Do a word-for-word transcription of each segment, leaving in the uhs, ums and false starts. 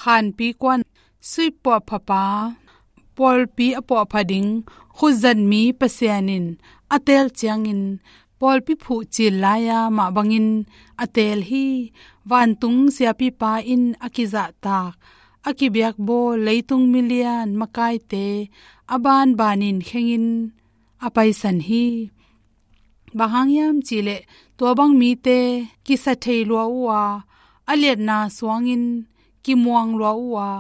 Khanpi kuan suipuahphapa, pawlpi a puahpha ding khutzat mi Pasian in a teel ciangin, pawlpi phuhcil lai-a mah bangin a teel hi. Vantung siapipa in a kizahtak, a kibiakbawl leitung milian makaite a banbanin khengin a paisan hi. Bang hang hiam cihleh, tua bang mite kisa thei lua uh a, a liatna suangin kimuang lua uh a,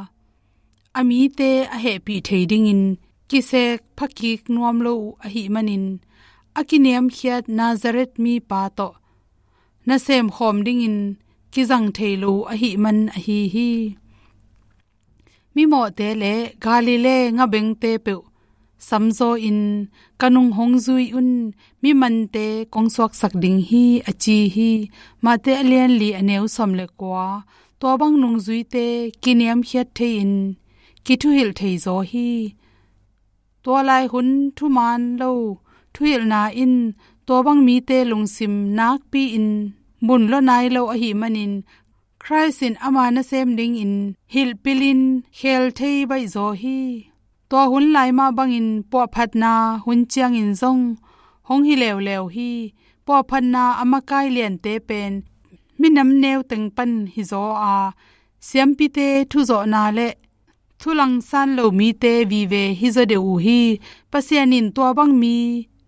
a mite a hehpih thei dingin kisek phakik nuam lo uh ahih manin, a kiniamkhiat Nazareth mipa tawh nasem khawm dingin kizang thei lo uh ahih man ahi hi. Mimawhte le Galilee ngabengte peuh samzaw in, ka nung hong zui un, mi mante kong suaksak ding hi, a ci hi. Mate a lianli a neu sawm le kua. Tua bang nungzuite kiniamkhiat thei-in kithuhilh thei zaw hi. Tua lai hun thuman lo thuhilhna in tua bang mite lungsim nakpi-in mun lua nai lo ahih manin, Khrist in ama nasem dingin hilhpilhin khel thei baih zaw hi. Tua hun lai mah bangin puahphatna hun ciangin zong hong hi leuleu hi. Puahphatna a makai liante pen minam neu teng pan hi zaw a, siampite thuzawhna le thulangsan lo mite vive hi zaw deuh uh hi. Pasian in tua bang mi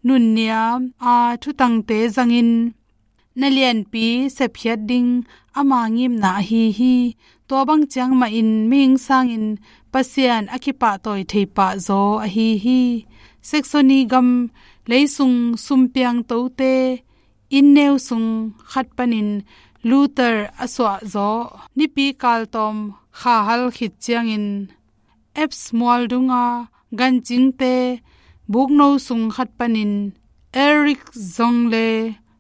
nunniam a thutangte zangin, na lianpi sepkhiat ding ama ngimna ahi hi. Tua bang ciang mahin mihing sangin Pasian a kipahtawi thei pah zaw ahi hi. Saxony gam leisung sumpiang tote inn neu sung khat panin Luther a suah zaw, nipi kaltawm kha hal khit ciangin Alps mual dunga gancingte bukno sung khat panin Eric Zong le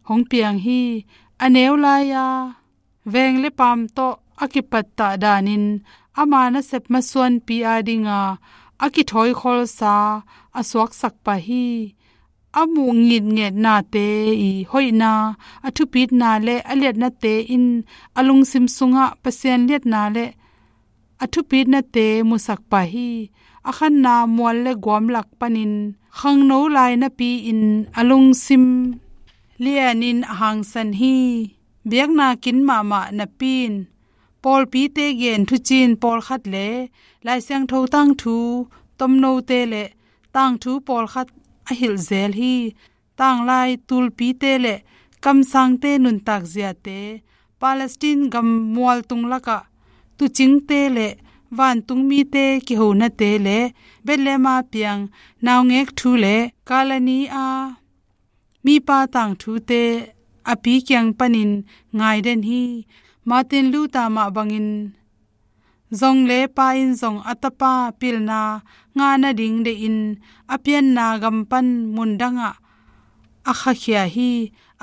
hong piang hi. A neu lai-a veng le paam tawh a kipattah danin ama nasep masuanpi a dinga a kithawi kholsa a suaksak pah hi. A muh ngitngetnate i hoihna, a thupitna le a liatnate in a lungsim sungah Pasian liatna le a thupitnate musak pah hi. A khanna mual le guam lak panin khangno lai napi-in a lungsim lianin a hangsan hi. Biakna kin mahmah napi-in pawlpite gen thuciin pawlkhat le Lai Siangtho tangthu tomnote le tangthu pawlkhat a hilh zel hi. Tanglai tulpite le kamsangte nuntak ziate, Palestine gam mualtung lakah tuucingte le vantung mite kihonate le Bethlehem a piang naungek thu le Kalani a mipa tangthute a pi kiang panin ngaiden hi. Martin Luther mah bangin Zong le pa in zong a tapa pilna ngah nading deihin a pianna gam pan mundangah a khakhia hi.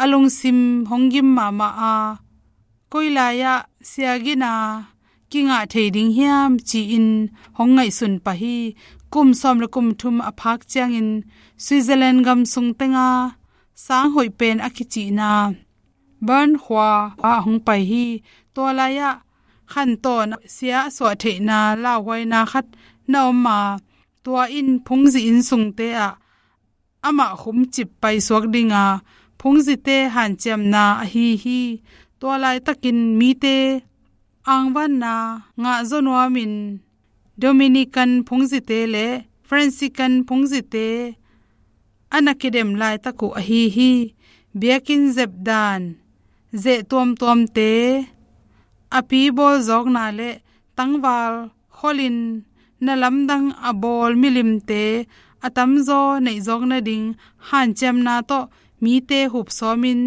A lungsim hong gim mahmah a, koi lai-ah siagina kingah thei ding hiam ci-in hong ngaihsun pah hi. Kum sawm le kum thum a phak ciangin Switzerland gam sung tenga sang hoih pen a kicihna Bern khua ah hong pai hi. Tua lai-ah khantawn sia a suah theihna lauhuaina khat na om a, tua in phungzi inn sungte ah amah khumcip paisuak dinga phungzite hanciamna ahi hi. Tua laitakin mite angvanna ngah zaw nuamin Dominican phungzite le Franciscan phungzite a na kidem laitak uh ahi hi. Biakinn zepdan, zeh tuamtuamte, a pi bawlzawkna le tangval kholin na lamdang a bawl milimte a tamzaw neihzawk nading hanciamna tawh mite hupsawmin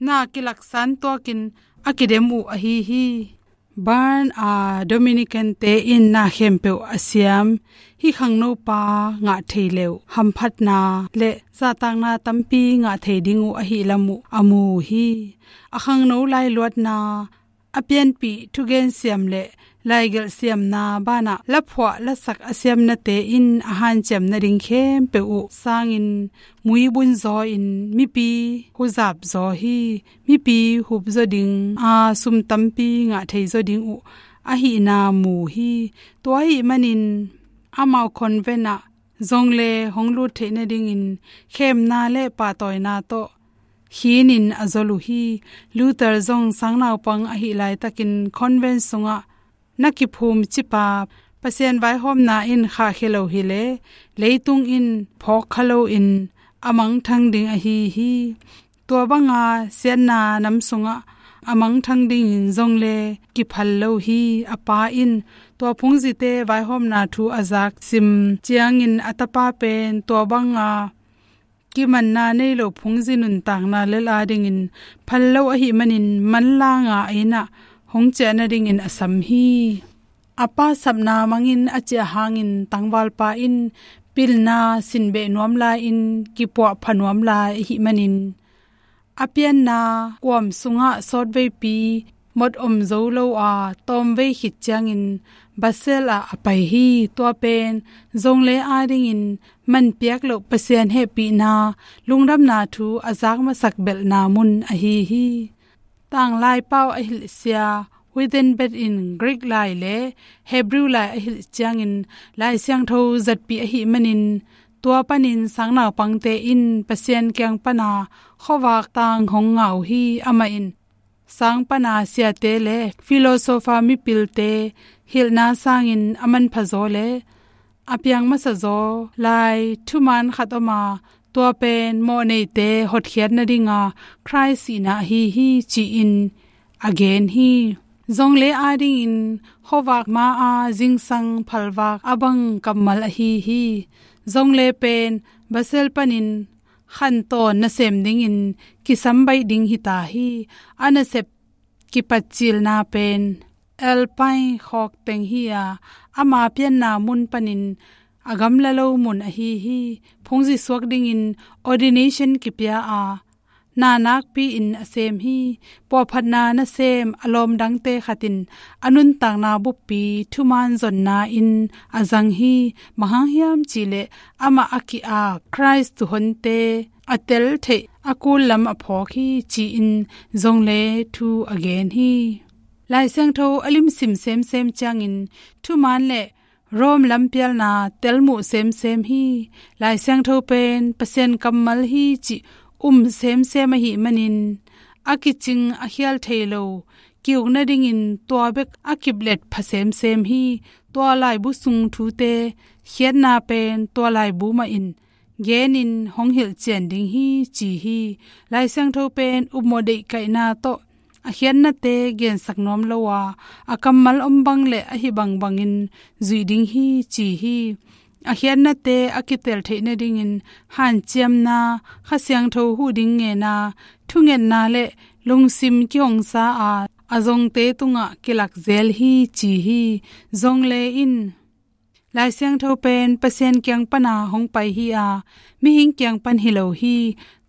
na kilaksan tuakin a kidem uh ahi hi. Bern a Dominicante in na khempeuh a siam hih khangnopa ngah thei le uh hamphatna le zahtakna tampi ngah thei ding uh ahih lam uh a mu uh hi. A khangno lailuatna, a pianpih thugen siam le laigelh siamna banah laphuah lasak a siamnate in a hanciam nading khempeuh uh sangin muibun zaw-in mipi huzap zaw hi. Mipi hup zaw ding a sum tampi ngah thei zaw ding uh ahihna mu hi. Tua ahih manin amau convent ah zong le hong lut theih nadingin khemna le pahtawina tawh khinin a zol uh hi. Luther zong sangnaupang ahih laitakin convent sungah na kiphum cipa Pasian vaihawmna in khahkhia lo hileh leitung in phawk kha loin a mangthang ding ahi hi. Tua banga siatna nam sungah a mangthang dingin zong le kiphal lo hi. A pa in tua phungzite vaihawmna thu a zak sim ciangin a tapa pen tua banga kimanna nei lo phungzi nuntakna lel adingin phal lo ahih manin manlanga a innah hong ciah nadingin a sam hi. A pa sapna mangin a ciah hangin tangvalpa in pilna sinbeh nuam lai-in kipuah pha nuam lai ahih manin a pianna kuam sungah sawtveipi mot om zo lo a tawmvei khit ciangin Basel ah a pai hi. Tua pen zong le adingin manpiak loh Pasian hehpihna lungdamna thu a zak masak belhna mun ahi hi. Tanglai pau a hilhsia Wittenberg in Greek lai le Hebrew lai a hilh ciangin Lai Siangtho zatpih ahih manin tua panin sangnaupangte in Pasian kiang pana khuavak tang hong ngah uh hi. Amah in sang pana siate le philosopher mipilte hilhna sangin a manpha zaw le a piang masa zaw lai thuman khat om a, tua pen mawhneite hotkhiat nadinga Khrist sihna ahi hi ci-in a gen hi. Zong le adingin khuavak ma-a zingsang phalvak a bang kammal ahi hi. Zong le pen Basel panin khantawn nasem dingin kisam baih ding hita hi. A nasep kipatcilna pen Alpine khawk teng hi a, ama pianna mun panin a gamla lo mun ahi hi. Phungzi suak dingin ordination kipia a, na nakpi-in a sem hi. Puahphatna nasem a lawmdangte khat in a nuntakna buppi thuman zonna in a zang hi. Bang hang hiam cihleh amah a ki-ap Khrist tuuhonte a tel theih a kul lam a phawk hi ci-in zong le thu a gen hi. Lai Siangtho a limsim semsem ciangin thuman le Rome lampialna telmuh semsem hi. Lai Siangtho pen Pasian kammal hi cih um semsem ahih manin a kicing a khial thei lo ki-uk nadingin tua bek a kiplet pha semsem hi. Tua laibu sung thute khiatna pen tua laibu mahin genin hong hilhcian ding hi ci hi. Lai Siangtho pen upmawh deihkaihna tawh a khiatnate gensak nuam lo a, a kammal om bang le ahi bangbangin zuih ding hi ci hi. A khiatnate a kitel theih nadingin hanciamna, Kha Siangtho huh ding ngena, thungetna le lungsim kihongsa a, a zongte tungah kilak zel hi ci hi. Zong le in Lai Siangtho pen Pasian kiang pana hong pai hi a, mihing kiang pan hi lo hi.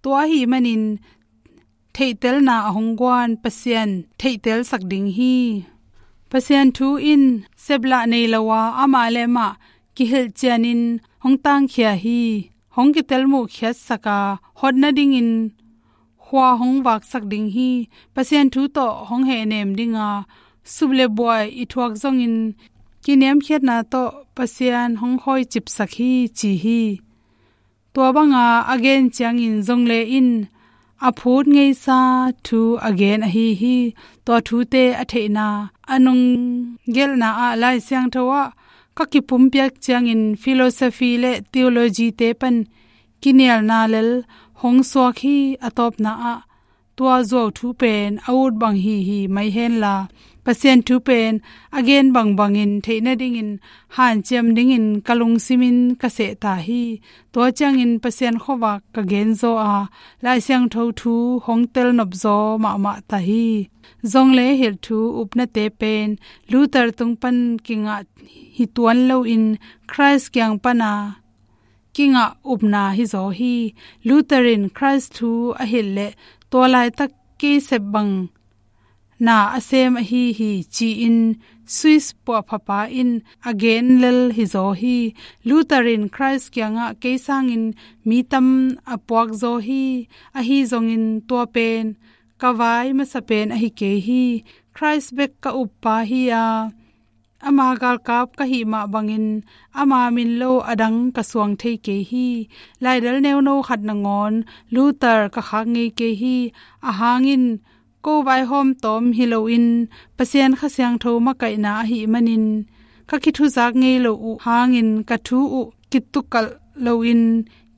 Tua ahih manin theihtelna a hong guan Pasian theihtelsak ding hi. Pasian thu in seplah nei lo a, amah le amah kihilhcianin hong tangkhia hi. Hong kitelmuh khiatsak a, hot nadingin khua hong vaksak ding hi. Pasian thu tawh hong hehnem ding a, sup le buai i thuak zongin kiniamkhiatna tawh Pasian hong hawicipsak hi ci hi. Tua banga a gen ciangin zong le in a phut ngeisa thu a gen ahi hi. Tua thute a theihna, a nunggelhna ah Lai Siangtho ah ka kipumpiak ciangin philosophy le theology te pan kinialna lel hong suak hi. A tawpna ah tua zuau thu pen a ut bang hi hi mai henla, Pasian thu pen a gen bangbangin theih nadingin hanciam dingin ka lungsimin ka sehta hi. Tua ciangin Pasian khuavak ka genzaw a, Lai Siangtho thu hong telnop zaw mahmah ta hi. Zong le hilh thu upnate pen Luther tung pan kingah hi tuan loin Khrist kiang pana kingah upna hizaw hi. Luther in Khrist thu a hilh leh tua laitak kei sep bang na a sem ahi hi ci-in Swiss puahphapa in a gen lel hizaw hi. Luther in Khrist kiangah kei sangin mi tam a puakzaw hi. Ahi zongin tua pen ka vai masa pen ahi kei hi. Khrist bek ka uppa hi a, Ama galkap ka hih mah bangin ama min lo a dang ka suang thei kei hi. Laidal neuno khat nangawn Luther ka khak ngei kei hi. Ahang in ko vaihawm tawm hi loin Pasian Kha Siangtho makaihna ahih manin ka kithuzak ngei lo uh hangin ka thu uh kitukalh loin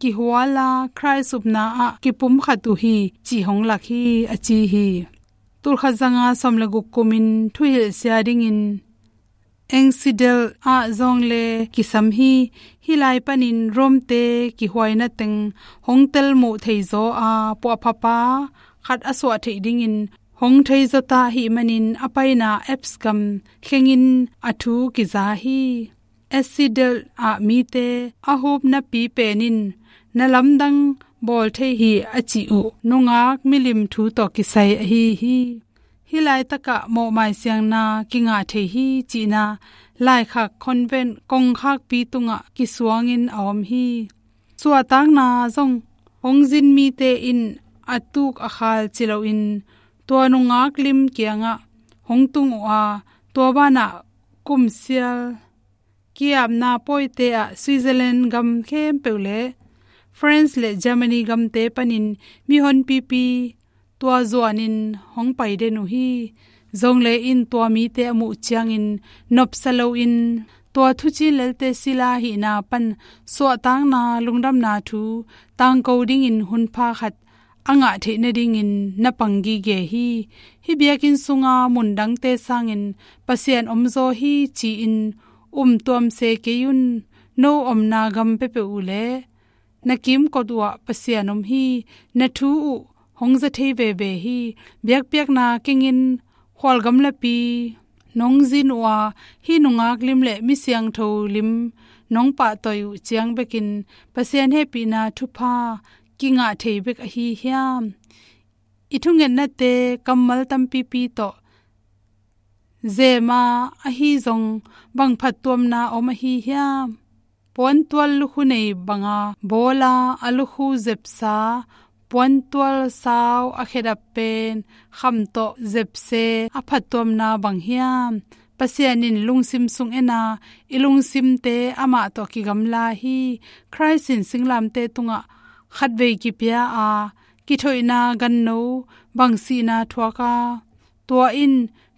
kihuala Khrist upna ah kipumkhat uh hi, cih hong lak hi, a ci hi. Tulkhat zanga sawm le guk kumin thuhilhsia dingin Einsiedeln ah zawngle kisam hi. Hih lai panin Rome-te kihuaina teng hong telmuh theizaw a, puahphapa khat a suah theih dingin hong theizaw ta ahih manin a paina Alps gam khengin a thu kiza hi. Einsiedeln ah mite a hupnapi pen in na lamdang bawl thei hi, a cih uh nungak milim thu tawh kisai ahi hi. Hih laitakah mawhmai siangna kingah thei hi cihna laikhak convent kongkhakpi tungah kisuangin a om hi. Suahtakna zong hong zin mite in a tuk a khal ci loin tua nungak lim kiangah hong tung uh a, tua banah kumsial ki-apna pawite ah Switzerland gam khempeuh le France le Germany gamte panin mihonpipi tua zuanin hong pai den uh hi. Zongle in tua mite a muh ciangin nopsa loin tua thucin lelte sila hihna pan suahtakna lungdamna thu tangko dingin hunpha khat a ngah theih nadingin na pang gige hi. Hih biakinn sunga mundangte sangin Pasian omzaw hi ci-in umtuam se kei un. No omna gam peuhpeuh uh le na kimkot uhah Pasian om hi. Na thu uh hong za thei veve hi. Biakpiakna kengin khualgamlapi nong zin uh a, hih nungak lim le mi siangtho lim nong pahtawi uh ciang bekin Pasian hehpihna thupha kingah thei bek ahi hiam? I thungetnate kammal tampipi tawh zema ahi zong bang phattuamna om ahi hiam? Puantual lukhu nei banga bawla a lukhu zepsa, puantual sau a khedap pen kham tawh zepse a phattuamna bang hiam? Pasian in lungsim sung ena i lungsimte amah tawh kigamla hi. Khrist in singlamte tungah khatvei kipia a, kithoihna ganno bang sihna thuak a, tua in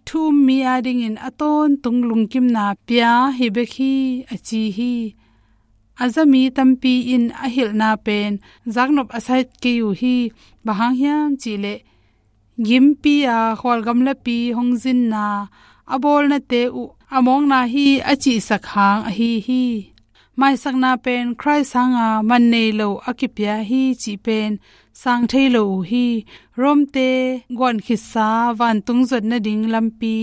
thu um mi adingin a tawntung lungkimna pia hi bek hi, a ci hi. A za mi tampi in a hilhna pen zaknop a sat kei uh hi. Bang hang hiam cihleh gimpi a khualgamlapi hong zinna a bawlnate uh a mawkna hi a cihsak hang ahi hi. Maisakna pen Khrist hanga man nei lo a kipia hi cih pen sang thei lo uh hi. Rome-te guan khitsa vantung zuat nading lampi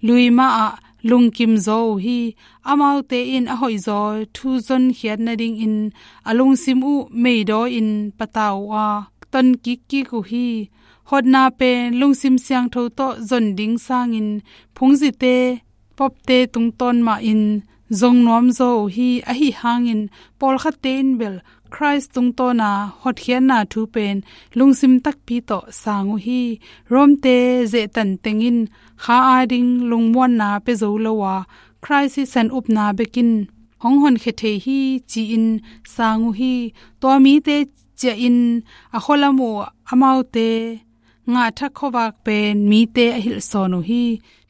lui mah ah lungkim zaw uh hi. Amaute in a hoihzaw thu zonkhiat nadingin a lungsim uh meidaw in pata uh a, ton kikkik uh hi. Hotna pen lungsim siangtho tawh zon ding sangin phungzite popte tungtawn mahin zong nuamzaw uh hi. Ahi hangin pawlkhatte in bel Khrist tungtawna hotkhiatna thu pen lungsim takpi tawh sang uh hi. Rome-te zehtan teng in kha ading lungmuanna pia zo lo a, Khrist sisan upna bekin hong honkhia thei hi ci-in sang uh hi. Tua mite ciahin a khualam uh amaute ngahthak khuavak pen mite a hilhsawn uh hi.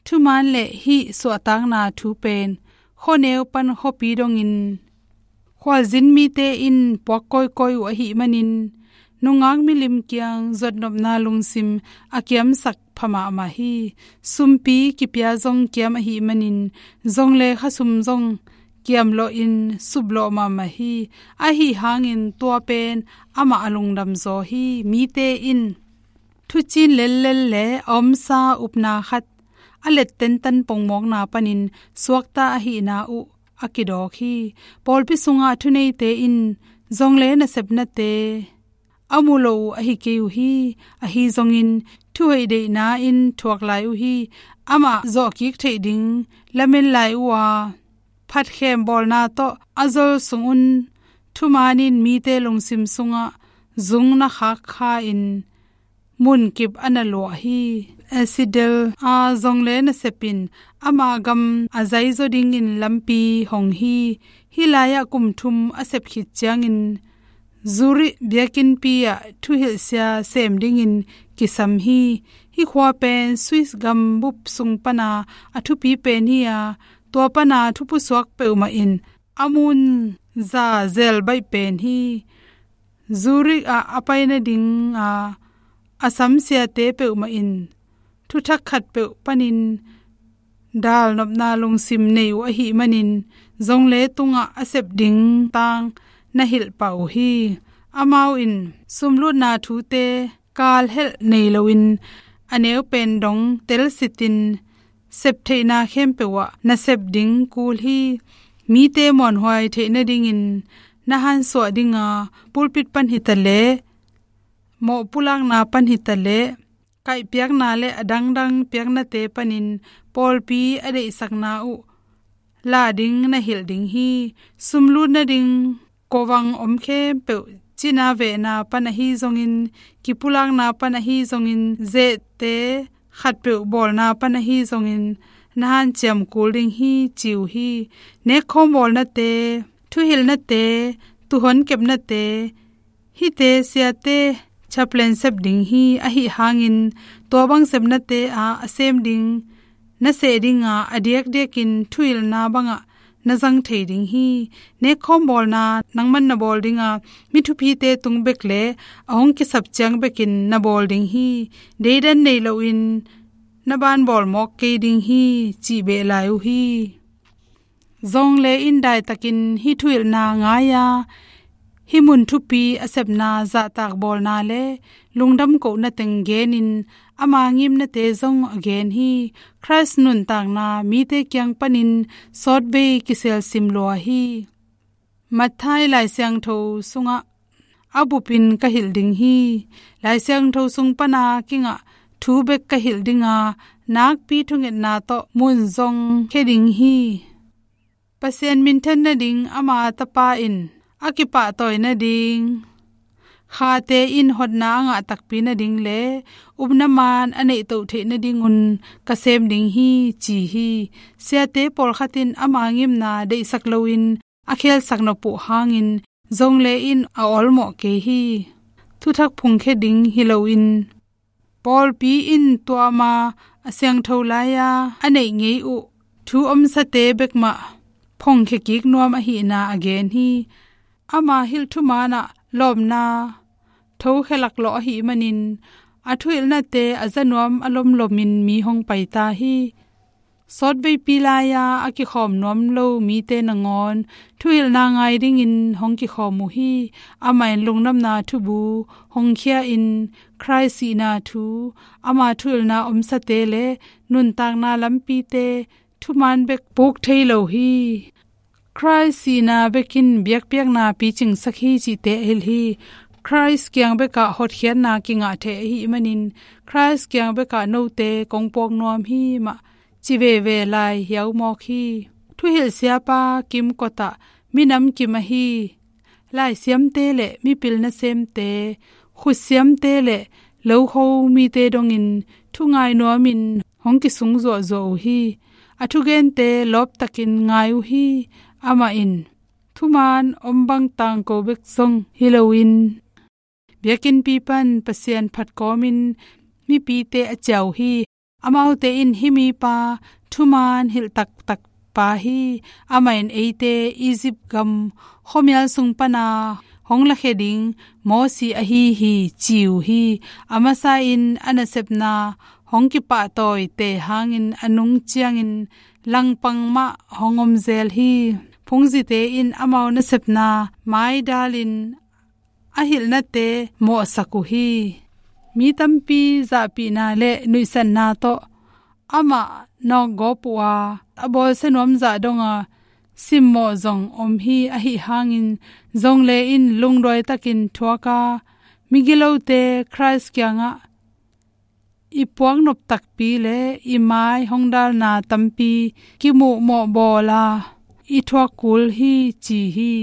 Thuman le hih suahtakna thu pen khuaneu pan khuapi dongin khualzin mite in puak kawikawi uh ahih manin nungak milim kiang zuatnopna lungsim a kiamsak pha mahmah hi. Sumpi kipia zong kiam ahih manin zong le khasum zong kiamlawhin suplawh mahmah hi. Ahi hangin tua pen amah a lungdamzaw hi. Mite in thucin lellel le a omsa upna khat a let tentan pongmawkna panin suakta ahihna uh a kidawk hi. Pawlpi sungah thuneite in zong le nasepnate a mu lo uh ahi kei uh hi. Ahi zongin thuhoih deihna in thuak lai uh hi. Amah zawhkik theih ding lamen lai uh a, phatkhem bawlna tawh a zol sungun thumanin mite lungsim sungah zung na khak kha in munkip a na luah hi. Esidel a zong le nasep in ama gam a zaizaw dingin lampi hong hi. Hih lai-ah kum thum a sep khit ciangin Zurich biakinnpi ah thuhilhsia sem dingin kisam hi. Hih khua pen Swiss gam bup sung pana a thupi pen hi a, tua pana thupusuak peuhmah in a mun za zel baih pen hi. Zurich ah a pai nading a, a samsiate peuhmah in thuthak khatpeuh panin dal nopna lungsim nei uh ahih manin, zong le tungah a sep ding tang na hilh pah uh hi. Amau in sumlutna thute kalhelh nei loin a neu pen dong telsitin septheihna khempeuh ah na sep ding kul hi. Mite muanhuai theih nadingin na hansuah dinga pulpit pan hitaleh, mawh pulakna pan hitaleh, kaihpiakna le a dangdang piaknate panin pawlpi a deihsakna uh la ding na hilh ding hi. Sumlut nading kovang om khempeuh, cina vehna pan ahi zongin, kipulakna pan ahi zongin, zehte khatpeuh bawlna pan ahi zongin, na hanciam kul ding hi, ci uh hi. Nekkhawm bawlnate, thuhilhnate, tuuhon kepnate, hihte siate chaplain sep ding hi. Ahi hangin tua bang sepnate ah a sem ding na seh dinga, a diakdiakin thuhilhna bangah na zang thei ding hi. Nekkhawm bawlna nangman na bawl dinga, mi thupite tung bek le a hong kisap ciang bekin na bawl ding hi. Deidan nei loin na ban bawl mawk kei ding hi, cih beh lai uh hi. Zong le in daitakin hih thuhilhna ngai-a, hih mun thupi a sepna zahtak bawlna le lungdam kohna teng genin ama ngimnate zong a gen hi. Khrist nuntakna mite kiang panin sawtvei kiselsim lua hi. Matthai Lai Siangtho sungah a bupin ka hilh ding hi. Lai Siangtho sung pana kingah thu bek ka hilh dinga, nakpi thungetna tawh mun zong khia ding hi. Pasian minthan nading ama Tapa in a kipahtawi nading, khate in hotna a ngah takpi nading le upna maan a neihtoh theih nadingun ka sem ding hi, ci hi. Siate pawlkhat in ama ngimna deihsak loin a khelsak nop uh hangin zong le in a awlmawh kei hi. Thuthak phungkhia ding hi loin, pawlpi in tua ama a siangtho lai-a a neih ngei uh thu omsate bekmah phongkhia kik nuam ahihna a gen hi. Ama hilh thumaanah lawpna thokhe laklawh ahih manin, a thuhilhnate a za nuam a lomlomin mi hong paita hi. Sawtveipi lai-a a kikhawm nuam lo mite nangawn thuhilhna ngai dingin hong kikhawm uh hi. Amah in lungdamna thubu hong khia-in, Khrist sihna thu, ama thuhilhna omsate le nuntakna lampite thumaan bek puk thei lo hi. Khrist sihna bekin biakpiakna picingsak hi cihte a hilh hi. Khrist kiang bekah hotkhiatna kingah thei ahih manin, Khrist kiang bekah note kong puak nuam hi mah, ci veve lai hiau mawk hi. Thuhilh siapa kimkotah minam kim ahi laisiamte le mipil nasemte, khutsiamte le lokho mite dongin thungai nuamin hong kisung zuahzuah uh hi. A thugente lawptakin ngai uh hi. Amah in thumaan om bang tangko bek zong hi loin, biakinnpi pan Pasian phat kawmin mipite a ciah uh hi. Amaute in, "Hih mipa thumaan hilh taktak pa hi. Amah in eite Egypt gam khuamial sung pana hong lakhia ding Mosi ahi hi," ci uh hi. A masa in a nasepna hong kipahtawi te hangin a nung ciangin langpang mah hong om zel hi. Phungzite in amau nasepna maidalin a hilhnate mawhsak uh hi. Mi tampi zahpihna le nuihsatna tawh amah nawkgawp uh a, a bawlsia nuam zah donga simmawh zong om hi. Ahi hangin zong le in lungduai takin thuaka migilote Khrist kiangah i puaknop takpi le i mai hong dalna tampi kimuhmawh bawla i thuak kul hi, ci hi.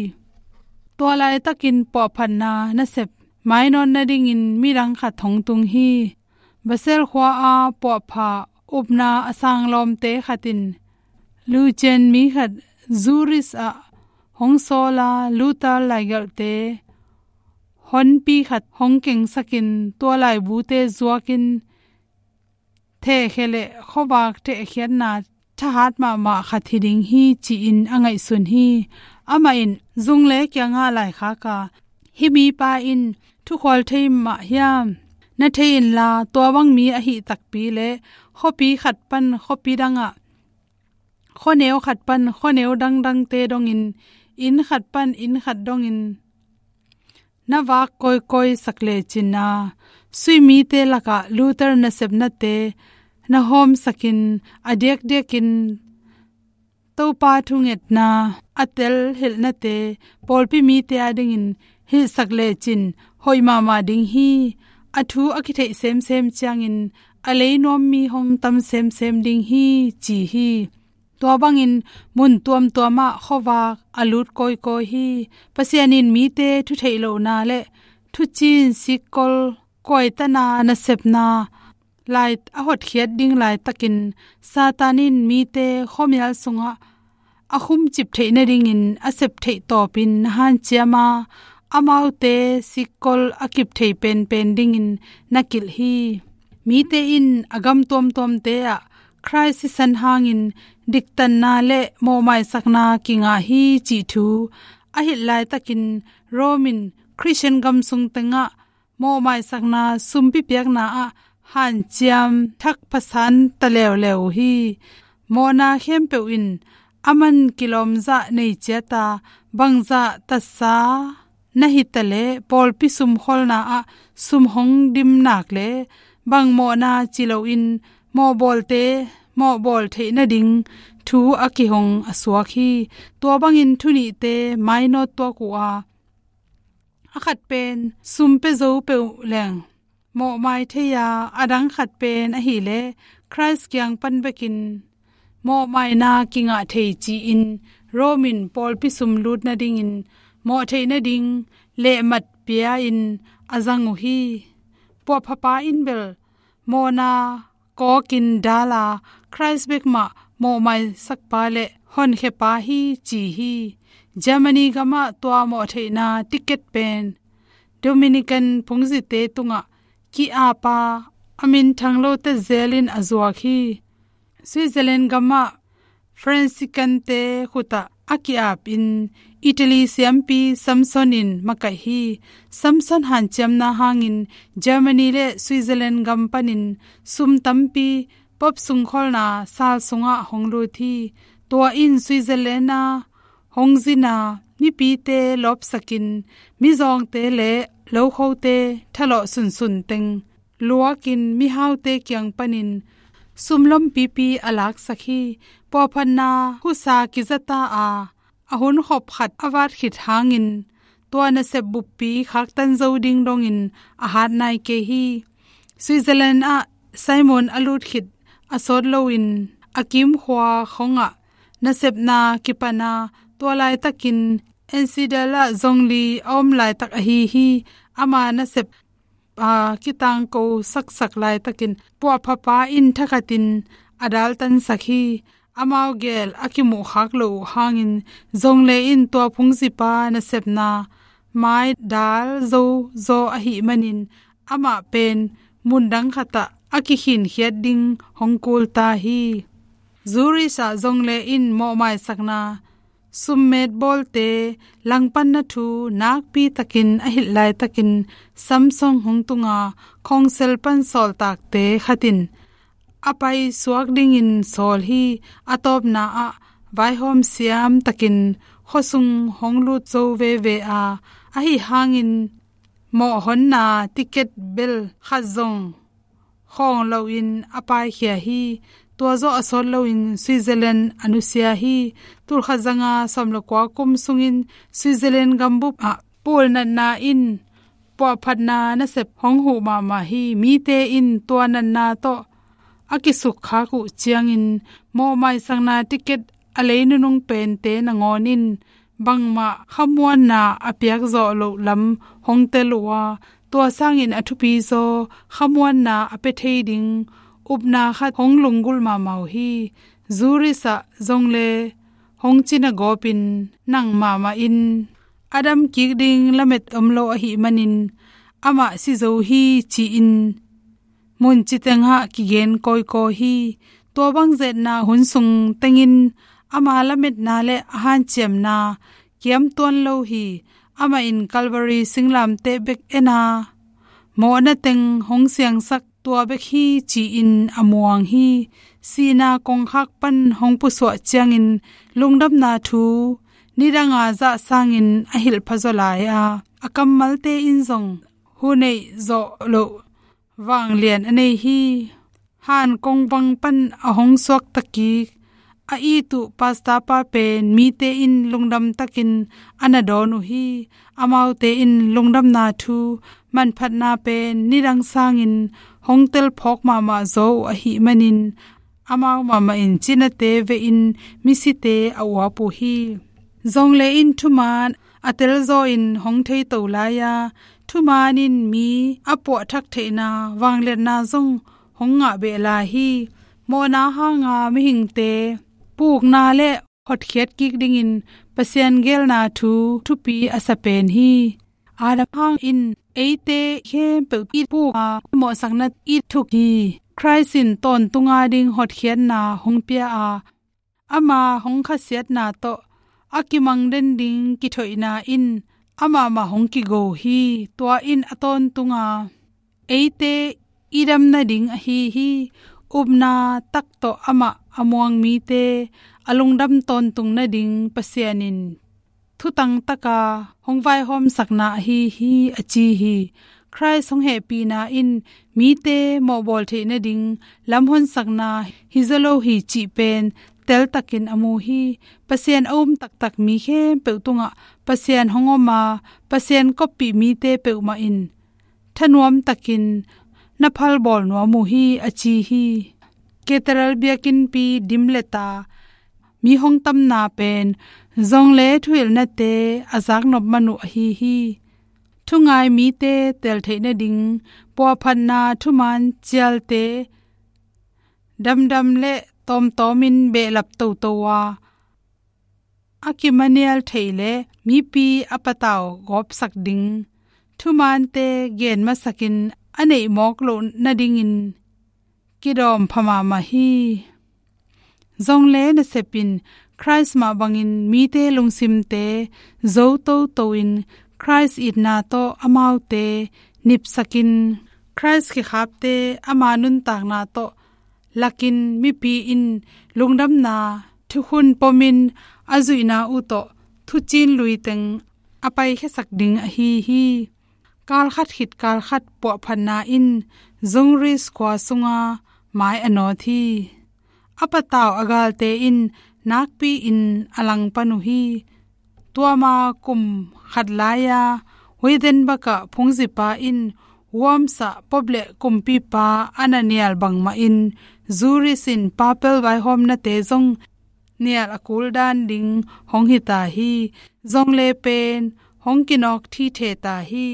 Tua laitakin puahphatna nasep mainawt nadingin midang khat hong tung hi. Basel khua-a puahpha upna a sang lawmte khat in Lucian mi khat Zurich ah hong sawla Luther laigelhte honpi khat hong kengsakin tua laibute zuakin thehkhia le khuavak thehkhiatna thahat mahmah khat hi ding hi ci-in a ngaihsun hi. Amah in zungle kiangah laikhak a, "Hih mipa in thukhual thei mah hiam? Na thei inla tua bang mi ahi takpi le khuapi khat pan khuapi dangah, khuaneu khat pan khuaneu dangdangte dongin, inn khat pan inn khat dongin na vak kawikawi sak lecin a, suimite lakah Luther nasepnate na hawmsakin a diakdiakin Topa thungetna a tel hilhnate pawlpi mite adingin hilhsak lecin hoih mahmah ding hi. A thu a kitheih semsem ciangin a leinuam mi hong tam semsem ding hi," ci hi. Tua bangin mun tuamtuamah khuavak a lut kawikawi hi. Pasian in mite thutheih lohna le thucin sikkol kuaitana nasepna lai a hotkhiat ding laitakin Satan in mite khuamial sungah a khumcip theih nadingin a sep theih tawpin na hanciam a, amaute sikkol a kip thei penpen dingin na kilh hi. Mite in a gam tuamtuamte ah Khrist sisan hangin diktanna le mawhmaisakna kingah hi cih thu a hilh laitakin Rome in Khristian gam sung tengah mawhmaisakna sumpi piakna ah hanciam thak phasan ta leuleu uh hi. Mawhna khempeuh in a man kilawmzah nei ciat a, bangzah tatsa na hi ta leh pawlpi sumkholna ah sum hong dim nak le bang mawhna ci loin mawhbawlte mawhbawl theih nading thu a kihong a suak hi. Tua bangin thu nihte mainawt tuak uh a, a khat pen sum pia zo peuh leng mawhmai thei a, a dang khat pen ahih leh Khrist kiang pan bekin mawhmaina kingah thei ci-in Rome in pawlpi sum lut nadingin mawh theih nading lehmat pia-in a zang uh hi. Puahphapa in bel mawhna kawkin dal a, Khrist bek mah mawhmaisakpa le honkhiapa hi ci hi. Germany gamah tua mawhtheihna ticket pen Dominican phungzite tungah ki-ap a, a minthang lote zelin a zuak hi. Switzerland gamah Franciscante khutah a ki-apin Italy siampi Samson in makaih hi. Samson hanciamna hangin Germany le Switzerland gam panin sum tampi Pope sungkholna sal sungah hong lut hi. Tua in Switzerland a hong zina mipite lawpsakin mizawngte le lokhote thalawh sunsun teng luakin mihaute kiang panin sum lompipi a laksak hi. Puahphatna husa kizata a, a hunkhop khat a vat khit hangin tua nasep buppi khaktan zo ding dongin a hat nai kei hi. Switzerland ah Simon a lut khit a sawt loin a kimkhua khongah nasepna kipan a, tua laitakin Enschede ah zong li a om laitak ahi hi. Ama nasep a kitangko saksak laitakin puahphapa in thakhatin a daltansak hi. Amau gel a kimuhkhak loh uh hangin zong le in tua phungzipa nasepna mai dal zo zaw ahih manin amah pen mundang khatah a kikhinkhiat ding hong kul ta hi. Zurich ah zong le in mawhmaisakna summet bawlte langpanna thu nakpi takin a hilh laitakin Samson hong tunga khongsel pan sawltakte khatin a paisuak dingin sawl hi. A tawpna ah vaihawm siam takin khuasung hong lut zo veve a, ahi hangin mawhhonna ticket bel khat zong khawng loin a paikhia hi. Tua zawh a sawt loin Switzerland a nusia hi. Tulkhat zanga sawm le kua kum sungin Switzerland gambup ah pulnatna in puahphatna nasep hong huh mahmah hi. Mite in tua natna tawh a kisukkhak uh ciangin mawhmaisakna ticket a lei nunung pente nangawn in bangmah khamuanna a piak zawh loh lam hong tel uh a, tua sangin a thupi zaw khamuanna a pia thei ding upna khat hong lunggulh mahmah uh hi. Zurich ah zong le hong cina gawpin nang mahmah in a dam kik ding lamet om lo ahih manin amah si zo hi ci-in mun citeng ah kigen kawikawi hi. Tua bang zetna hun sung tengin ama lametna le a hanciamna kiam tuan lo hi. Amah in Calvary singlamteh bek en a, mawhna teng hong siangsak tua bek hi ci-in a muang hi. Sihna kongkhak pan hong pusuah ciangin lungdamna thu nidanga zah sangin a hilh pha zaw lai a, a kammalte in zong hu neih zawh loh vanglian a nei hi. Han kongvang pan a hong suakta kik a it uh pastor pa pen mite in lungdam takin a na dawn uh hi. Amaute in lungdamna thu manphatna pen nidang sangin hong telphawk mahmah zaw uh ahih manin amau mahmah in cinate vehin misite a uap uh hi. Zong le in thuman a telzaw in hong theito lai a, thuman in mi a puahthak theihna vangliatna zong hong ngah beh lai hi. Mawhna hanga mihingte pukna le hotkhiat kik dingin Pasian geelna thu thupi a sa pen hi. Adam hangin eite khempeuh it puk a mawhsakna it thuk hi. Christ in tawntunga ding hotkhiatna hong pia a, ama hong khasiatna tawh a kimang den ding kithoihna in amah mah hong kigo hi. Tua in a tawntunga eite i dam nading ahi hi. Upna tak tawh amah a muang mite a lungdam tawntung nading Pasian in thutang taka hong vaihawmsakna ahi hi, a ci hi. Christ hong hehpihna in mite mawhbawl theih nading lamhonsakna hi zaw lo hi cih pen teltakin a mu hi. Pasian a um taktak mi khempeuh tungah Pasian hong om a, Pasian koppih mite peuhmah in thanuam takin na phalbawl nuam uh hi, a ci hi. Cathedral biakinnpi dim le ta mi hong tamna pen zong le thuhilhnate a zaknop man uh ahi hi. Thungai mite tel theih nading puahphatna thuman cialte damdam le tawmtawmin behlap toto a, a kimanial theih le mipi a patau gawpsak ding thumante gen masakin a neih mawk loh nadingin kidawm pha mahmah hi. Zong le nasep in Christ mah bangin mite lungsimte zo toto in Christ itna tawh amaute nipsakin Christ kikhapte ama nuntakna tawh lakin mipi in lungdamna thukhun pomin a zuihna uh tawh thucin lui teng a paikhiasak ding ahi hi. Kalkhat khit kalkhat puahphatna in Zurich khua sunga mai a nawt hi. A patau a galte in nakpi-in a langpan uh hi. Tua ma kum khat lai-a Wittenberg ah phungzipa in Worms ah Pope le kumpipa a na nial bangmahin Zurich in papal vaihawmnate zong nial a kul dan ding hong hi ta hi. Zong le pen hong kinawk thithe ta hi.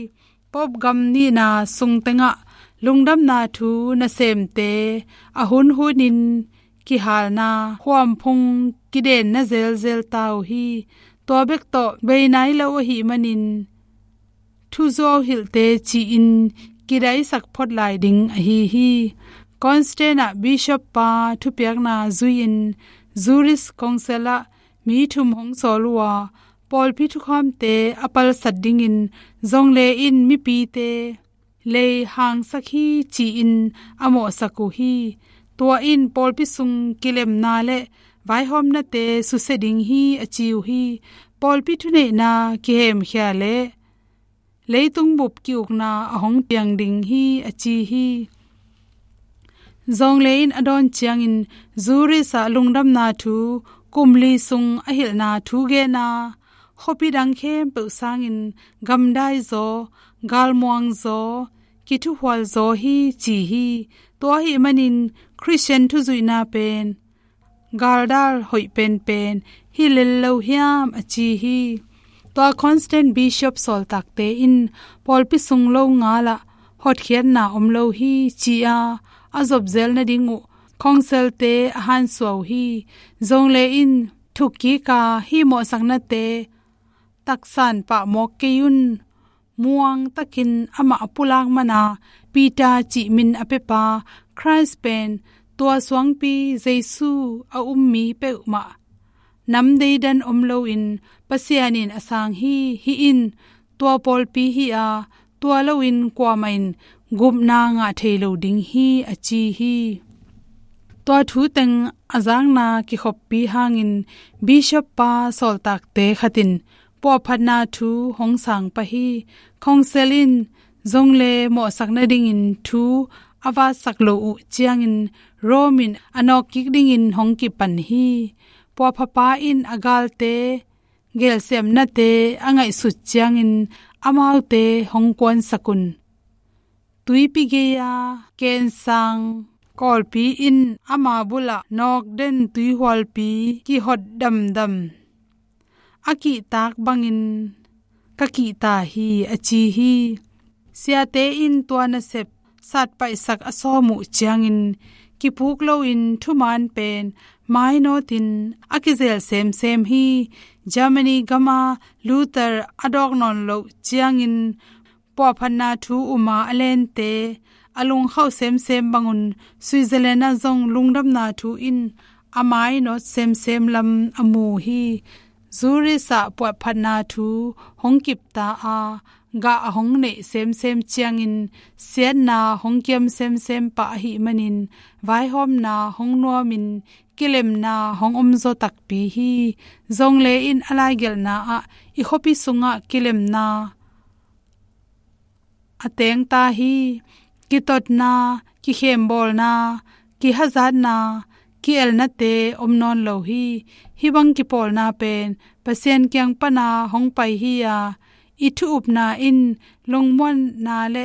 Pope gam nihna sung tengah lungdamna thu nasemte a hunhunin kihalna khuamphung kidenna zelzel ta uh hi. Tua bek tawh bei nai lo ahih manin thuzuau hilhte ci-in kidaisak phot lai ding ahi hi. Constance ah bishop pa thupiakna zui-in Zurich Council ah mi thum hong sawl uh a, pawlpi thukhamte a palsat dingin zong le in mipite lei hangsak hi ci-in a mawhsak uh hi. Tua in pawlpi sung kilemna le vaihawmnate susia ding hi, a ci uh hi. Pawlpi thuneihna kihemkhia le leitung bup ki-ukna a hong piang ding hi, a ci hi. Zong le in a dawn ciangin Zurich ah lungdamna thu kum li sung a hilhna thu gen a, khuapi dang khempeuh sangin gamdai zaw, galmuang zaw, kithuhual zaw hi ci hi. Tua ahih manin Khristian thuzuihna pen galdal hoih penpen hi lel lo hiam, a ci hi. Tua Constance Bishop sawltakte in pawlpi sung lo ngalah hotkhiatna om lo hi, ci-a a zopzel nading uh khongselte a hansuah uh hi. Zong le in thukkika hih mawhsaknate taksan pahmawk kei un. Muang takin amah a pulak mana Peter cih min a pepa Christ pen tua suangpi Jesu a um mi peuhmah nam deidan om loin Pasian in a sang hi. Hih in tua pawlpi hi-a, tua loin kuamah in gupna ngah thei lo ding hi, a ci hi. Tua thu teng a zakna kikhoppi hangin bishop pa sawltakte khat in puahphatna thu hong sang pah hi. Khongsial in zong le mawhsak nadingin thu a vatsak lo uh ciangin Rome in a nawkkik dingin hong kipan hi. Puahphapa in a galte gelsiamnate a ngaihsut ciangin amaute hong kuansak un. Tuipi gei-a kensang kawlpi in ama bulah nawkden tuihualpi kihot damdam a kihtak bangin ka kihta hi, a ci hi. Siate in tua nasep satpaihsak a sawm uh ciangin kipuk loin thuman pen mainawtin a kizel semsem hi. Germany gama Luther a dawk nawn loh ciangin puahphatna thu uma a lente a lungkhauh semsem bangun Switzerland ah zong lungdamna thu in a mainawt semsem lam a mu hi. Zurich ah puahphatna thu hong kipta a, gah a hong neih semsem ciangin siatna hong kiam semsem pah ahih manin vaihawmna hong nuamin kilemna hong omzaw takpi hi. Zong le in a laigelhna ah i khuapi sungah kilemna a tengta hi. Kitotna, kikhembawlna, kihazatna, ki-elnate om nawn lo hi. Hih bang kipawlna pen Pasian kiang pana hong pai hi-a, i thu upna in lungmuanna le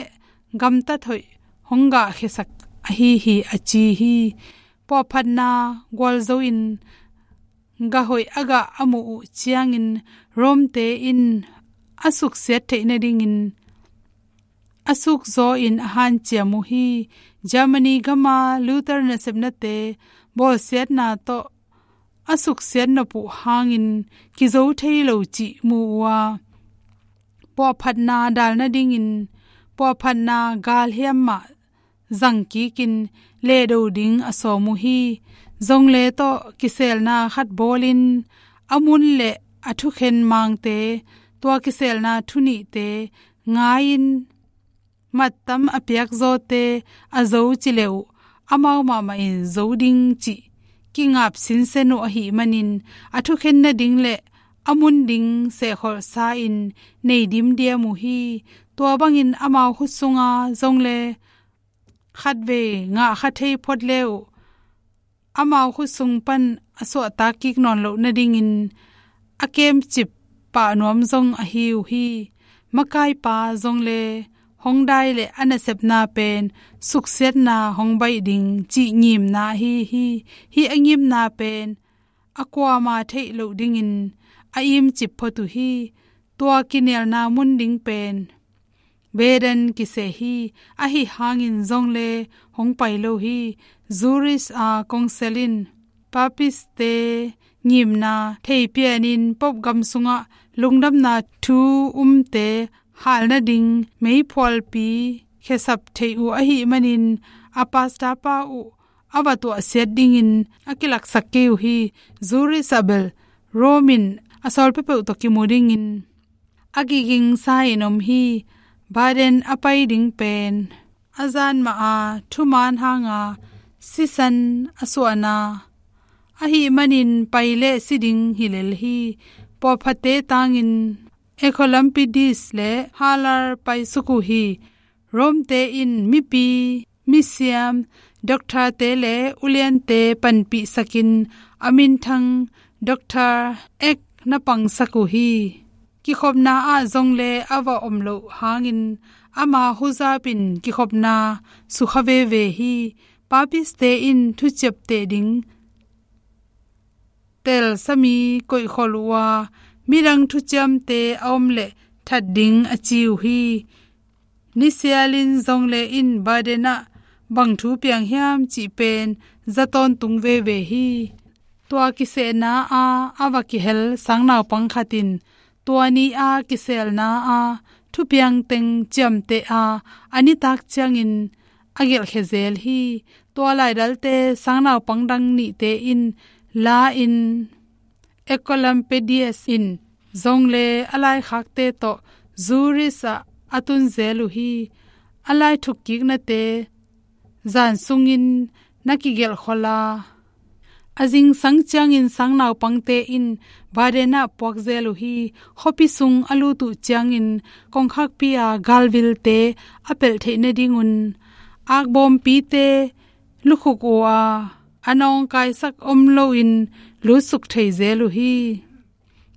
gamtat hoih hong gahkhiasak ahi hi, a ci hi. Puahphatna gualzo in gah hoih a gah a muh uh ciangin Rome-te in a suksiat theih nadingin a sukzaw in a hanciam uh hi. Germany gama Luther nasepnate bawlsiatna tawh a suksiat nop uh hangin kizo thei lo cih mu uh a, puahphatna dal nadingin puahphatna galhiam mah zangkikin lehdo ding a sawm uh hi. Zong le tawh kiselna khat bawlin a mun le a thukhen mangte, tua kiselna thunihte ngai-in mattam a piakzawte a zo ci le uh, amau mahmah in zo ding cih kingap sinsen uh ahih manin a thukhen nading le a mun ding sehkholhsa-in nei dimdiam uh hi. Tua bangin amau khut sunga zong le khatvei ngahkha thei phot le uh, amau khut sung pan a suahtak kik nawn loh nadingin a kemcip pah nuam zong ahi uh hi. Makaipa zong le hong dai le a nasepna pen suksiatna hong baih ding cih ngimna ahi hi. Hih a ngimna pen a kuama theih loh dingin a imcip phot uh hi. Tua kinelna mun ding pen Baden kiseh hi. Ahi hangin zong le hong pai lo hi. Zurich a kongsial in Papist-te ngimna theipianin Pope gam sungah lungdamna thu umte hal nading meiphualpi khiasap thei uh ahih manin a pastor pa uh a va tuahsiat dingin a kilaksak kei uh hi. Zurich ah bel Rome in a sawl peuhpeuh tawh kimu dingin a kigingsa in om hi. Baden a pai ding pen a zan mah a thuman hanga sisan a suahna ahih manin pai le si ding hi lel hi. Pawlphatte tangin Oecolampadius le Haller paisuk uh hi. Rome-te in mipi, misiam, doctor-te le uliante panpihsakin a minthang Doctor Eck na pangsak uh hi. Kikhopna ah zong le a va om loh hangin ama huzap in kikhopna sukha veve hi. Papist-te in thuciapteh ding tel sami koihkhol uh a, midang thuciamte a om leh that ding a ci uh hi. Nisialin zong le in Baden ah bang thu piang hiam cih pen za tawntung veve hi. Tua kisehna a a va kihel sangnaupang khat in tua ni a kiselna a thupiang teng ciamteh a a nitak ciangin a gelhkhia zel hi. Tua laidalte sangnaupang dang nihte in la in Oecolampadius in zong le a laikhakte tawh Zurich ah a tun zel uh hi. A lai thukkiknate zan sungin na kigelh khol a, a zingsang ciangin sangnaupangte in Baden ah puak zel uh hi. Khuapi sung a lut uh ciangin kongkhakpi a galvilte a pelh theih nadingun akbawmpite lukhuk uh a, a nawngkaisak om loin lutsuk thei zel uh hi.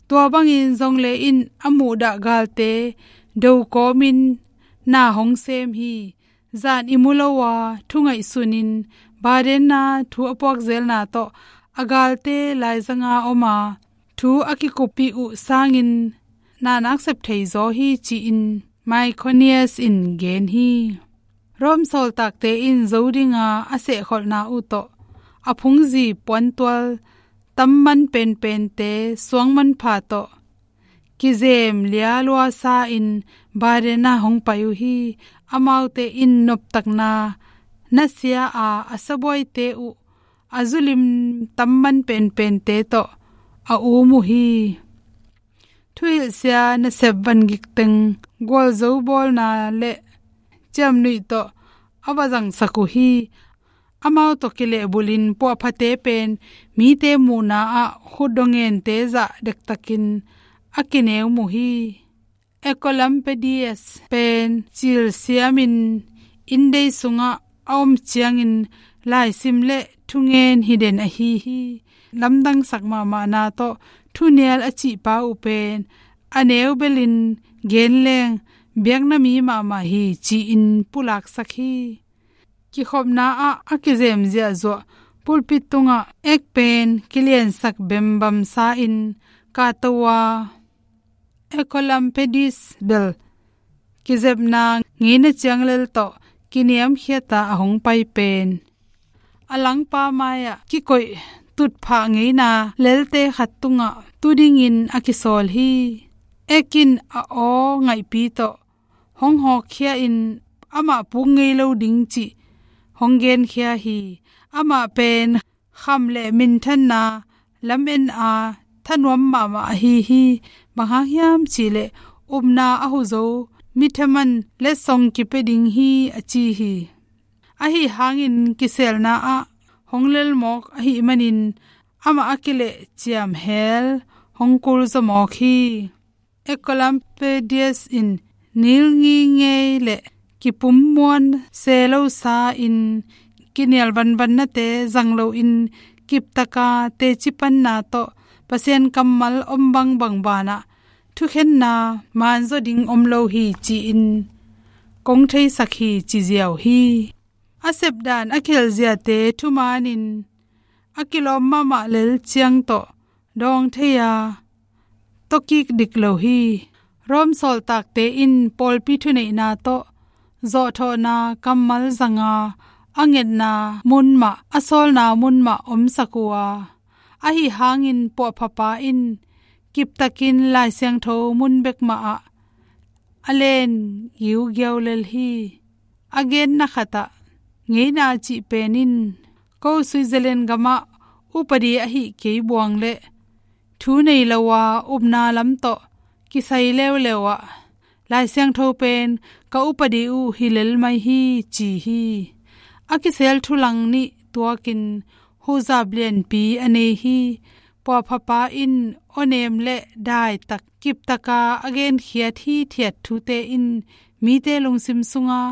Tua bangin zong le in a muhdah galte do kawmin na hong sem hi. Zan i mu lo a thu ngaihsunin Baden a thu a puak zelna tawh a galte laizanga om a thu a kikuppih uh sangin na nak sep thei zaw hi ci-in Myconius in gen hi. Rome sawltakte in zo dinga a sehkholhna uh tawh a phungzi puantual tamman penpente suangmanpha tawh kizem lialuasa in Baden ah hong pai uh hi. Amaute in noptakna nasia a a sabuaite uh a zulim tamman penpente tawh a um uh hi. Thuhilhsia nasep vangik teng gualzo bawlna le ciamnuih tawh a va zangsak uh hi. Amau tawh kilehbulhin puahphate pen mite muhna ah khutdawngente zah dektakin a kineu mu hi. Oecolampadius pen cilsiamin inndei sungah a om ciangin laisim le thungen hi den ahi hi. Lamdangsak mahmahna tawh thunial a cihpa uh pen a neu belin gen leng biakna mi mahmah hi ci-in pulaksak hi. Kikhopna ah a kizem ziahzuah pulpit tungah ek pen kiliansak bembamsa in kahto a Oecolampadius bel kizepna ngeina cianglel tawh kiniamkhiata a hong pai pen a langpa mai-ah kikoih tutphah ngeina lelte khat tungah tu dingin a kisawl hi. Ek in a aw ngaihpi tawh hong hawkkhia in amah puk ngei lo ding cih hong genkhia hi. Amah pen kham le minthanna lamen a thanuam mahmah ahi hi. Bang hang hiam cihleh upna a huzo mithaman letsong kipia ding hi a ci hi. Ahi hangin kiselna ah hong lelmawk ahih manin amah a kileh ciamhel hong kulzawmawk hi. Oecolampadius in nilngingei le kipummuan selosa in kinial vanvannate zang loin kiptaka tecipanna tawh Pasian kammal om bangbang banah thukhenna manzaw ding om lo hi ci-in kong theisak hi ci ziau hi. A sepdan a khelziate thumanin a kilawm mahmah lel ciang tawh dawng thei a tawkik dik lo hi. Rome sawltakte in pawlpi thuneihna tawh zawhthawhna kammal zanga a ngetna mun mah a sawlna mun mah omsak uh a, ahi hangin puahphapa in kiptakin Lai Siangtho mun bek mahah a len giugiau lel hi. A genna khatah ngeina cih pen in ko Switzerland gamah upadi ahi kei buang le thu nei lo a upna lam tawh kisai leuleu ah Lai Siangtho pen ka upadi uh hi lel mai hi ci hi. A kisel thulang nih tuakin huzap lianpi a nei hi. Puahphapa in awnem le daitak kiptaka a genkhiat hithiat thute in mite lungsim sunga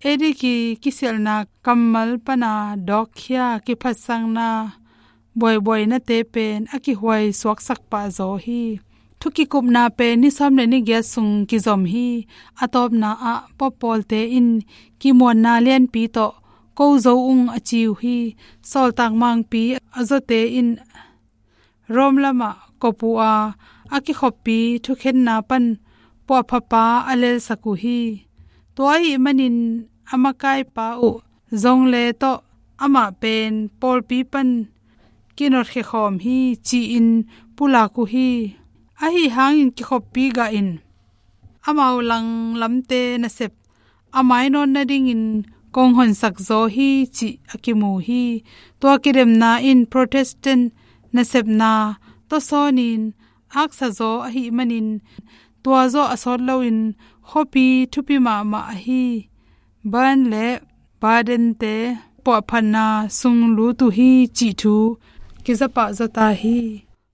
ediki kisialhna kammal pana dawkkhia kiphatsakna buaibuainate pen a kihuai suaksak pah zaw hi. Thukikupna pen ni sawm le ni giat sung kizom hi. A tawpna ah pawlpawlte in kimuanna lianpi tawh ko zo ung a ci uh hi. Sawltak mangpi a zawte in Rome lamah kop uh a, a kikhoppi thukhenna pan puahphapa a lelsak uh hi. Tua ahih manin a makaipa uh Zong Le tawh amah pen pawlpi pan kinotkhia khawm hi ci-in pulak uh hi. Ahi hangin kikhoppi gah in amau langlamte nasep a mainawt nadingin kong honsak zaw hi cih a kimu hi. Tua kidemna in Protestant nasepna tawsawnin aksa zaw ahih manin tua zawh a sawt loin khuapi thupi mahmah ahi Bern le Baden-te puahphatna sung lut uh hi cih thu kizapah zaw ta hi.